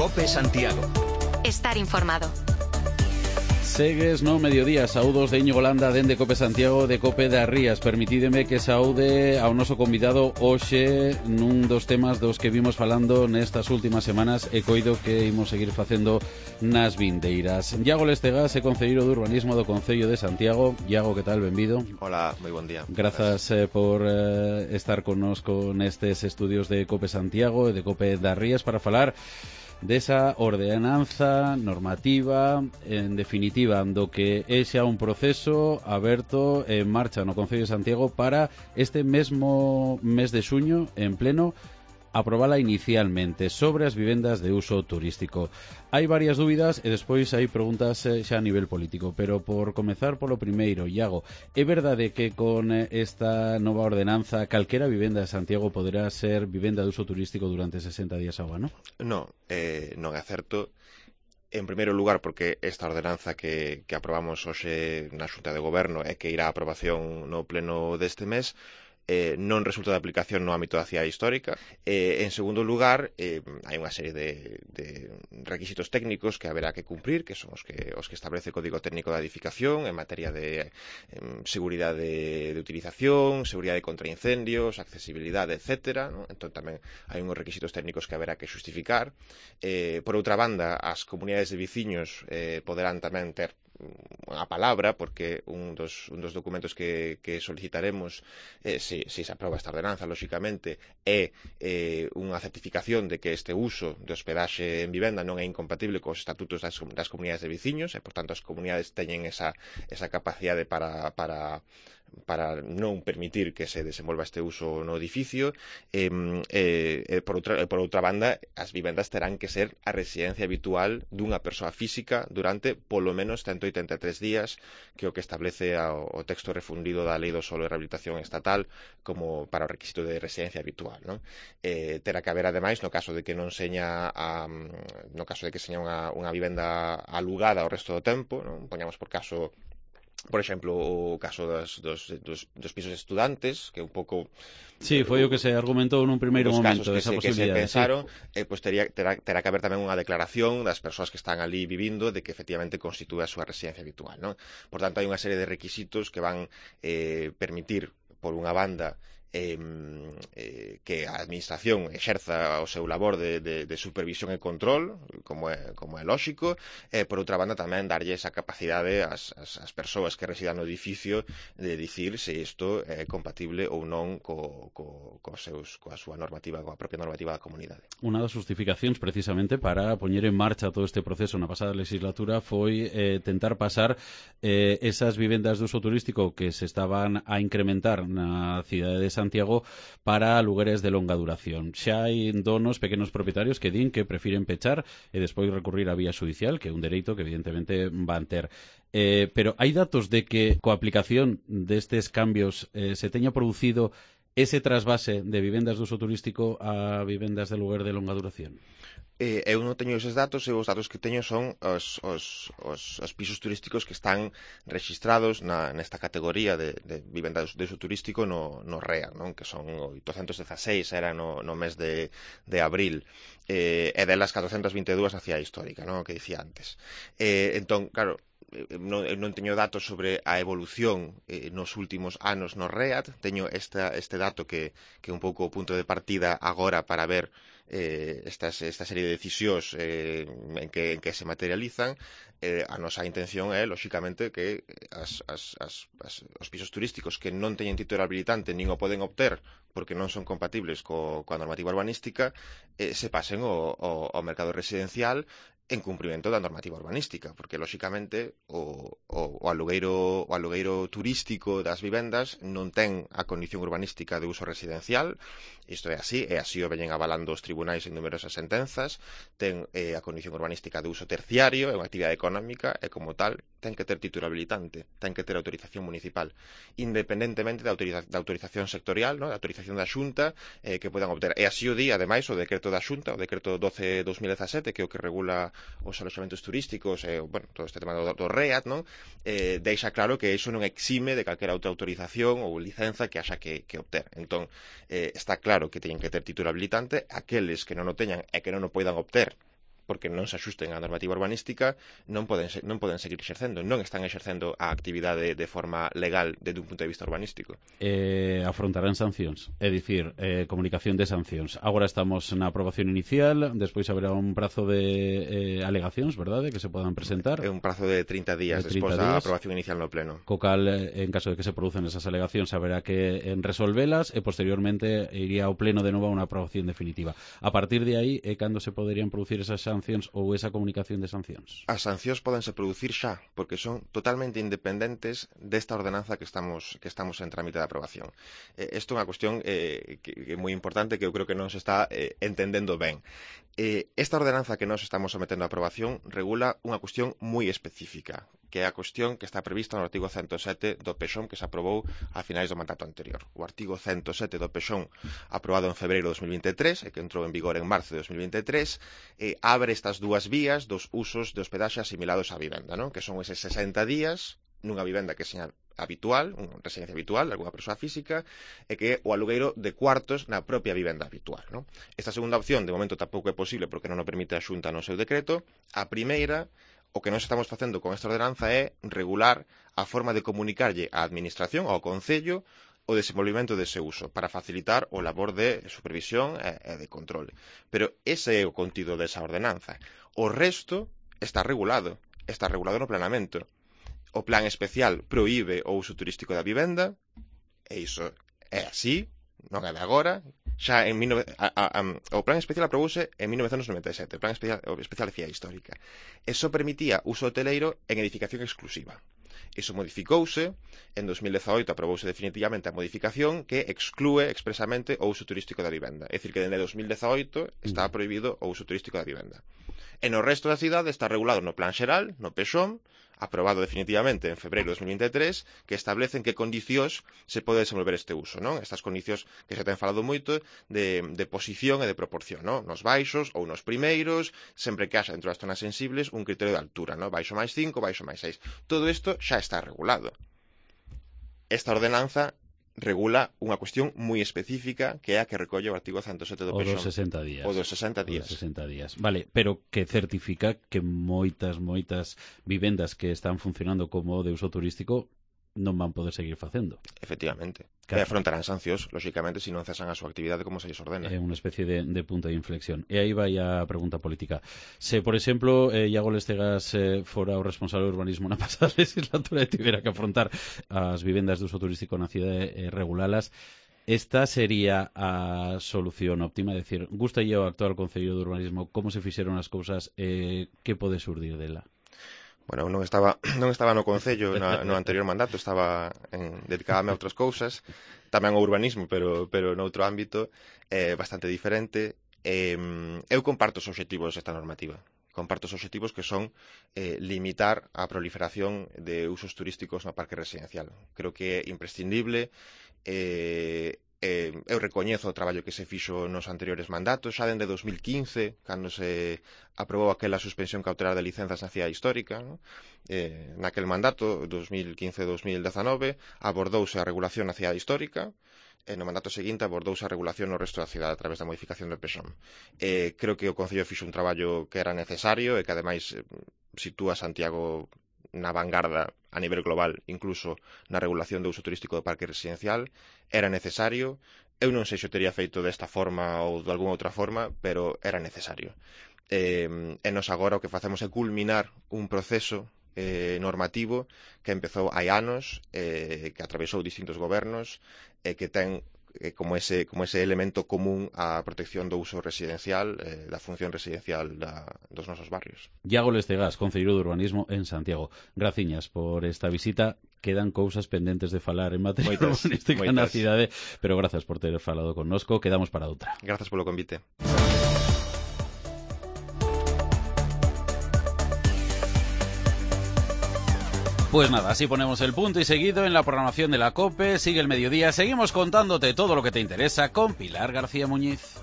COPE Santiago. Estar informado. Segues no mediodía, saúdos de Íñigo Landa dende COPE Santiago de COPE da Rías. Permitídeme que saúde ao noso convidado hoxe nun dos temas dos que vimos falando nestas últimas semanas e coido que imos seguir facendo nas vindeiras. Iago Lestegas é concelleiro de urbanismo do Concello de Santiago. Iago, que tal? Benvido. Hola, moi bon día. Grazas por estar connosco nestes estudios de COPE Santiago e de COPE da Rías para falar desa ordenanza normativa, en definitiva, do que é xa un proceso aberto en marcha no Concello de Santiago para este mesmo mes de xuño, en pleno, aprobala inicialmente sobre as vivendas de uso turístico. Hai varias dúbidas e despois hai preguntas xa a nivel político, pero por comezar polo primeiro, Iago, é verdade que con esta nova ordenanza calquera vivenda de Santiago poderá ser vivenda de uso turístico durante 60 días ao ano? Non é certo. En primeiro lugar, porque esta ordenanza que aprobamos hoxe na Xunta de Goberno e que irá a aprobación no pleno deste mes non resulta de aplicación no ámbito da cidade histórica. En segundo lugar, hai unha serie de requisitos técnicos que haberá que cumprir, que son os que establece o Código Técnico da Edificación en materia de seguridade de utilización, seguridade contra incendios, accesibilidade, etc. ¿no? Entón tamén hai unhos requisitos técnicos que haberá que xustificar. Por outra banda, as comunidades de veciños poderán tamén ter unha palabra, porque un dos documentos que solicitaremos se aproba esta ordenanza, lóxicamente, é unha certificación de que este uso de hospedaxe en vivenda non é incompatible cos estatutos das comunidades de veciños e, por tanto, as comunidades teñen esa capacidade para non permitir que se desenvolva este uso no edificio. Por outra banda, as vivendas terán que ser a residencia habitual dunha persoa física durante polo menos 183 días, que é o que establece o texto refundido da Lei do Solo e Rehabilitación Estatal como para o requisito de residencia habitual, non? Terá que haber, ademais, no caso de que seña unha vivenda alugada ao resto do tempo, non? Poñamos por caso, por exemplo, o caso dos pisos estudantes, que un pouco... Sí, foi o que se argumentou nun primeiro momento desa posibilidade. Que se pensaron, pois terá que haber tamén unha declaración das persoas que están ali vivindo de que efectivamente constitúe a súa residencia habitual, non? Por tanto, hai unha serie de requisitos que van permitir, por unha banda, que a administración exerza o seu labor de supervisión e control, como é lóxico, e por outra banda tamén darlle esa capacidade ás persoas que residan no edificio de dicir se isto é compatible ou non coa súa normativa, coa propia normativa da comunidade. Unha das justificacións precisamente para poñer en marcha todo este proceso na pasada legislatura foi tentar pasar esas vivendas de uso turístico que se estaban a incrementar na cidade de Santiago para lugares de longa duración. Xa hai donos, pequenos propietarios que din que prefiren pechar e despois recurrir á vía judicial, que é un dereito que evidentemente van ter. Pero hai datos de que coa aplicación destes cambios se teña producido ese trasvase de vivendas de uso turístico a vivendas de lugar de longa duración? Eu non teño eses datos, e os datos que teño son os pisos turísticos que están rexistrados nesta categoría de vivendas de uso turístico no REA, non? Que son 816 era no mes de abril, e delas 422 na cidade histórica, non? Que dicía antes. Entón, claro, non teño datos sobre a evolución nos últimos anos no REAT. Teño este dato que é un pouco o punto de partida agora para ver esta serie de decisións en que se materializan. A nosa intención é, lóxicamente, que os pisos turísticos que non teñen título habilitante nin o poden obter porque non son compatibles coa normativa urbanística se pasen ao mercado residencial en cumprimento da normativa urbanística, porque, lóxicamente, o alugueiro turístico das vivendas non ten a condición urbanística de uso residencial. Isto é así, e así o veñen avalando os tribunais en numerosas sentenzas. Ten a condición urbanística de uso terciario, é unha actividade económica, e como tal ten que ter título habilitante, ten que ter autorización municipal, independentemente da autorización sectorial, ¿no? Da autorización da Xunta que podan obter. E así o di, ademais, o decreto da Xunta, o decreto 12/2017, que é o que regula os aloxamentos turísticos, todo este tema do REAT, non? Deixa claro que iso non exime de calquera outra autorización ou licenza que haxa que obter. Entón, está claro que teñen que ter título habilitante. Aqueles que non o teñan e que non o poidan obter porque non se axusten á normativa urbanística, non poden seguir exercendo, non están exercendo a actividade de forma legal desde un punto de vista urbanístico. Afrontarán sancións, é dicir, comunicación de sancións. Agora estamos na aprobación inicial, despois haberá un prazo de alegacións, verdade, que se podan presentar. É un prazo de 30 días despois da aprobación inicial no pleno. Co cal, en caso de que se producen esas alegacións, haberá que resolvelas e posteriormente iría ao pleno de novo a unha aprobación definitiva. A partir de aí é cando se poderían producir esas sancións ou esa comunicación de sancións. As sancións podense producir xa, porque son totalmente independentes desta ordenanza que estamos en trámite de aprobación. Isto é unha cuestión que é moi importante, que eu creo que non se está entendendo ben. Esta ordenanza que nós estamos sometendo a aprobación regula unha cuestión moi específica, que é a cuestión que está prevista no artigo 107 do PEXON, que se aprobou a finais do mandato anterior. O artigo 107 do PEXON, aprobado en febreiro de 2023, e que entrou en vigor en marzo de 2023, abre estas dúas vías dos usos de hospedaxe asimilados á vivenda, non? Que son eses 60 días nunha vivenda que seña habitual, unha residencia habitual de alguna persoa física, e que o alugueiro de cuartos na propia vivenda habitual, non? Esta segunda opción, de momento, tampouco é posible porque non o permite a Xunta no seu decreto. A primeira, o que nós estamos facendo con esta ordenanza é regular a forma de comunicarlle á Administración, ao Concello, o desenvolvimento dese uso, para facilitar o labor de supervisión e de control. Pero ese é o contido desa ordenanza. O resto está regulado no planeamento. O plan especial proíbe o uso turístico da vivenda, e iso é así, non é de agora. Xa o plan especial aprobouse en 1997, o plan especial de Cidade Histórica, e só permitía uso hoteleiro en edificación exclusiva. Iso modificouse, en 2018 aprobouse definitivamente a modificación que exclúe expresamente o uso turístico da vivenda. É dicir, que dende 2018 está prohibido o uso turístico da vivenda. E no resto da cidade está regulado no Plan Xeral, no PEXON, aprobado definitivamente en febreiro de 2023, que establece en que condicións se pode desenvolver este uso, non? Estas condicións que se ten falado moito de posición e de proporción, non? Nos baixos ou nos primeiros, sempre que haxa dentro das zonas sensibles un criterio de altura, non? Baixo máis 5, baixo máis 6. Todo isto xa está regulado. Esta ordenanza regula unha cuestión moi específica, que é a que recolle o artigo 107 do PEXON. O dos 60 días. O dos 60 días. O dos 60 días. Vale, pero que certifica que moitas vivendas que están funcionando como de uso turístico non van poder seguir facendo. Efectivamente. Claro. E afrontarán sancións, lóxicamente, se non cesan a súa actividade como se lles ordena. É unha especie de punto de inflexión. E aí vai a pregunta política. Se, por exemplo, Iago Lestegas fora o responsable do urbanismo na pasada legislatura e tivera que afrontar as vivendas de uso turístico na cidade e regulalas, esta sería a solución óptima? É dicir, gustalle ao actual Concello de Urbanismo como se fixeron as cousas e que pode surdir dela? Bueno, non estaba no Concello no anterior mandato, estaba dedicábame a outras cousas, tamén ao urbanismo, pero noutro ámbito bastante diferente. Eu comparto os obxectivos desta normativa. Comparto os obxectivos que son limitar a proliferación de usos turísticos no parque residencial. Creo que é imprescindible. Eu recoñezo o traballo que se fixo nos anteriores mandatos, xa dende 2015, cando se aprobou aquela suspensión cautelar de licenzas na cidade histórica, ¿no? Naquel mandato, 2015-2019, abordouse a regulación na cidade histórica, e no mandato seguinte abordouse a regulación no resto da cidade a través da modificación do PEXON. Creo que o Concello fixo un traballo que era necesario e que ademais sitúa Santiago na vanguarda a nivel global, incluso na regulación do uso turístico do parque residencial. Era necesario. Eu non sei se o teria feito desta forma ou de alguna outra forma, pero era necesario. E nos agora o que facemos é culminar un proceso normativo que empezou hai anos, que atravesou distintos gobernos, e que ten como ese elemento común a protección do uso residencial, da función residencial dos nosos barrios. Iago Lestegas, Concelleiro de Urbanismo en Santiago. Graciñas por esta visita. Quedan cousas pendentes de falar en materia urbanística na cidade, pero grazas por ter falado connosco. Quedamos para outra. Grazas polo convite. Pues nada, así ponemos el punto y seguido en la programación de la COPE. Sigue el mediodía, seguimos contándote todo lo que te interesa con Pilar García Muñiz.